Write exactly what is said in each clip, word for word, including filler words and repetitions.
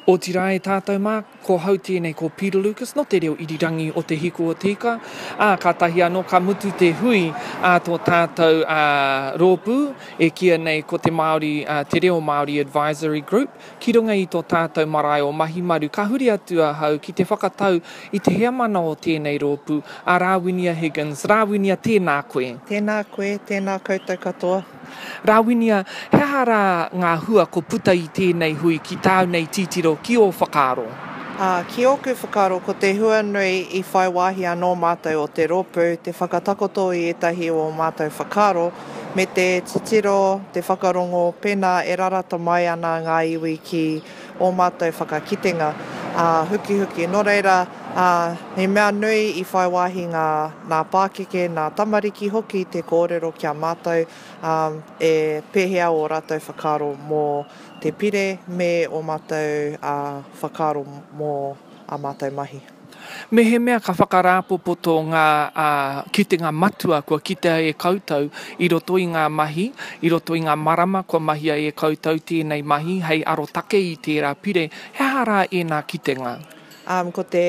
Otirā e tātou mā, ko hau tēnei ko Peter Lucas no te reo irirangi o Te Hiku o Te Ika. Ā, kātahi anō ka mutu te hui a tō tātou ā, rōpū e kīia nei ko te Māori, ā, Te Reo Māori Advisory Group ki runga i tō tātou marae o Mahimaru. Ka huri atu ahau ki te whakatau i te heamana o tēnei rōpū, a Rāwinia Higgins. Rāwinia, tēnā koe. Tēnā koe, tēnā koutou katoa. Rāwinia, he aha rā ngā hua ko puta i tēnei hui ki tāu nei titiro, ki ō whakaaro? Ā, ki ōku whakaaro, ko te hua nui i whai wāhi anō mātou o te rōpū, te whakatakoto i ētahi o ō mātou whakaaro, me te titiro, te whakarongo, pēnā e rarata mai ana ngā iwi ki ō mātou whakakitenga, ā, hukihuki. Nō reira, ā, he mea nui i whai wāhi ngā, nā pākeke, nā tamariki hoki te kōrero ki a mātou, ā, e pēhea ō rātou whakaaro mō te pire me ō mātou whakaaro mō ā mātou mahi. Mehemea ka whakarāpopoto ngā kitenga matua kua kitea e koutou i roto i ngā mahi, i roto i ngā marama kua mahia e koutou tēnei mahi hei arotake i tērā pire, he aha rā ēnā kitenga? Um, ko te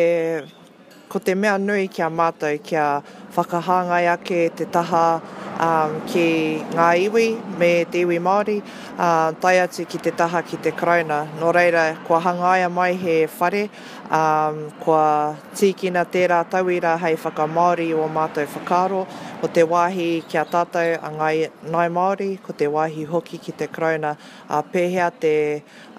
Ko te mea nui ki a mātou kia whakahāngai ake te taha um, ki ngā iwi me te iwi Māori, uh, tae atu ki te taha ki te Karauna. Nō reira, kua hangaia mai he whare, um, kua tīkina tērā tauira hei whakamāori i ō mātou whakaaro, ko te wāhi ki a tātou a Ngāi, Ngāi Māori, ko te wāhi hoki ki te Karauna, ā, pēhea te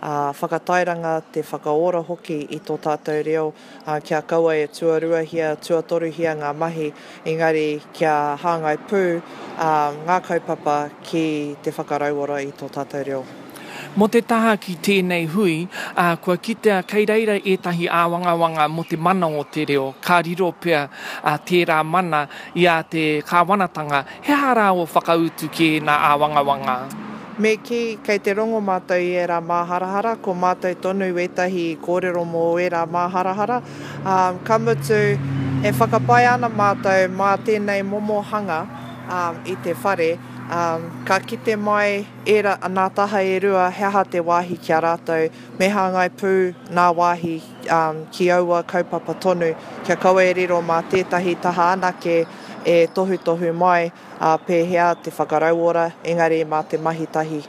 ā, whakatairanga, te whakaora hoki i tō tātou reo, ā, kia kaua e tuaruahia, tuatoruhia ngā mahi, engari kia hāngai pū, ā, ngā kaupapa ki te whakarauora i tō tātou reo. Mō te taha ki tēnei hui, ā, kua kitea kei reira ētahi āwangawanga mō te mana o te reo, ka riro pea, ā, tērā mana i a te kāwanatanga. He aha rā ō whakautu ki ēnā āwangawanga? Me kī, kei te rongo mātou i ērā māharahara, ko mātou tonu ētahi kōrero mō ērā māharahara, ā, ka mutu, e whakapae ana mātou mā tēnei momo hanga, ā, i te whare, ā, ka kite mai ērā, nā taha e rua he aha te wāhi ki a rātou, me hāngai pū nā wāhi, ā, ki aua kaupapa tonu, kia kaua e riro mā tētahi taha anake e tohutohu mai, ā, pēhea te whakarauora, engari mā te mahi tahi.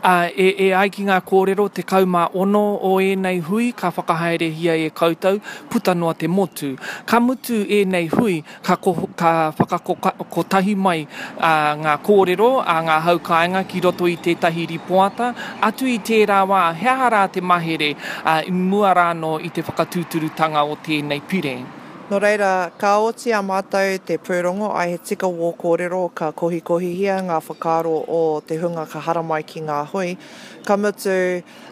Ā, e, e ai ki ngā kōrero, tekau mā ono o ēnei hui ka whakahaerehia e koutou puta noa te motu. Ka mutu ēnei hui, ka, ko, ka whakakotahi mai ā, ngā kōrero a ngā hau kāinga ki roto i tētahi ripoata. Atu i tērā wā, he aha rā te mahere, ā, i mua rānō i te whakatūturutanga o tēnei pire? Nō reira, ka oti a mātou te pūrongo, ai he tika wō kōrero ka kohikohihia ngā whakaaro o te hunga ka haramai ki ngā hui. Ka mutu,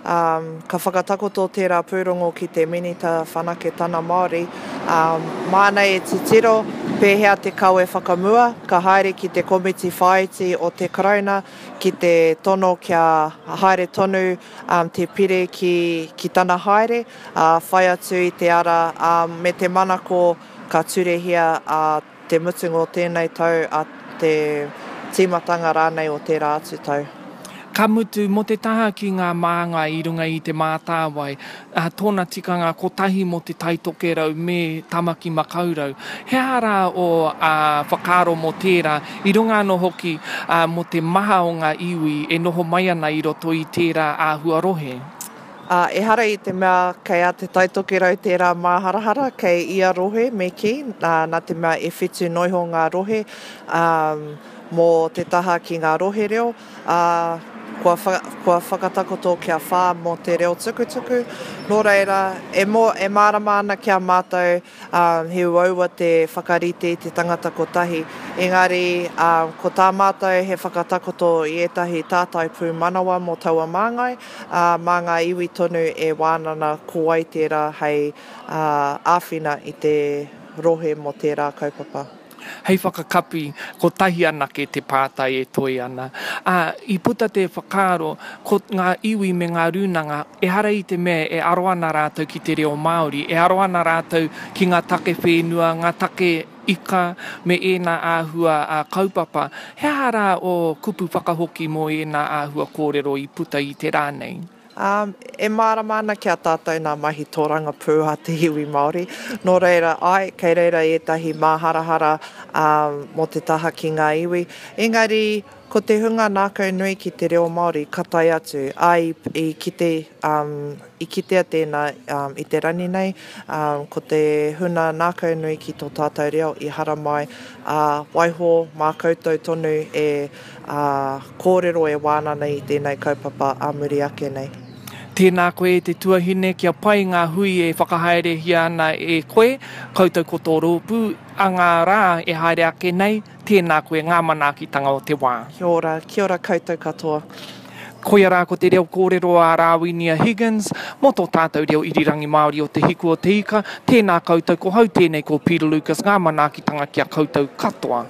um, ka whakatakoto tērā pūrongo ki te Minita Whanaketana Māori, um, māna e titiro pēhea te kawe whakamua, ka haere ki te komiti whāiti o te Karauna ki te tono kia haere tonu um, te pire ki, ki tana haere, ā, whai atu i te ara, ā, me te manako ka turehia ā te mutunga o tēnei tau, ā te tīmatanga rānei o tērā atu tau. Ka mutu, mō te taha ki ngā māngai i runga i Te Mātāwai, ā, tōna tikanga kotahi mō Te Tai Tokerau me Tamaki Makaurau. He aha rā ō, ā, whakaaro mō tērā, i runga anō hoki, ā, mō te maha o ngā iwi e noho mai ana i roto i tērā āhua rohe? Ā, ehara i te mea kei a Te Tai Tokerau tērā māharahara, kei ia rohe me kī, nā, nā te mea e whitu noiho ngā rohe, ā, mō te taha ki ngā rohe reo, ā, kua, wha, kua whakatakoto kia whā mō te reo tukutuku. Nō reira, e, mō, e mārama ana ki a mātou, ā, he uaua te whakarite i te tangata kotahi, engari, ā, ko tā mātou he whakatakoto i ētahi tātai pūmanawa mō taua māngai, ā, mā ngā iwi tonu e wānana ko wai tērā hei, ā, āwhina i te rohe mō tērā kaupapa. Hei whakakapi, kotahi anake te pātai e toe ana. Ā, i puta te whakaaro, ko ngā iwi me ngā rūnanga, ehara i te mea e aro ana rātou ki te reo Māori, e aro ana rātou ki ngā take whenua, ngā take ika, me ēnā āhua kaupapa. He aha rā ō kupu whakahoki mō ēnā āhua kōrero i puta i te rā nei? Um, e mārama ana ki a tātou nā mahi tōrangapū a te iwi Māori. Nō reira, ai, kei reira ētahi māharahara um, mō te taha ki ngā iwi. Engari, ko te hunga nākau nui ki te reo Māori ka tae atu. Ai, i, kite, um, i kitea tēnā um, i te rani nei, um, ko te huna nākau nui ki tō tātou reo i haramai, ā, waiho mā koutou tonu e ā, kōrero e wānana i tēnei kaupapa ā muri ake nei. Tēnā koe e te tuahine, kia pai ngā hui e whakahaerehia ana e koe, koutou ko tō rōpū, a ngā rā e haere ake nei, tēnā koe ngā manaakitanga o te wā. Kia ora, kia ora koutou katoa. Koia rā ko te reo kōrero a Rāwinia Higgins mō tō tātou reo irirangi Māori o Te Hiku o Te Ika. Tēnā koutou, ko hau tēnei ko Peter Lucas, ngā manaakitanga ki a koutou katoa.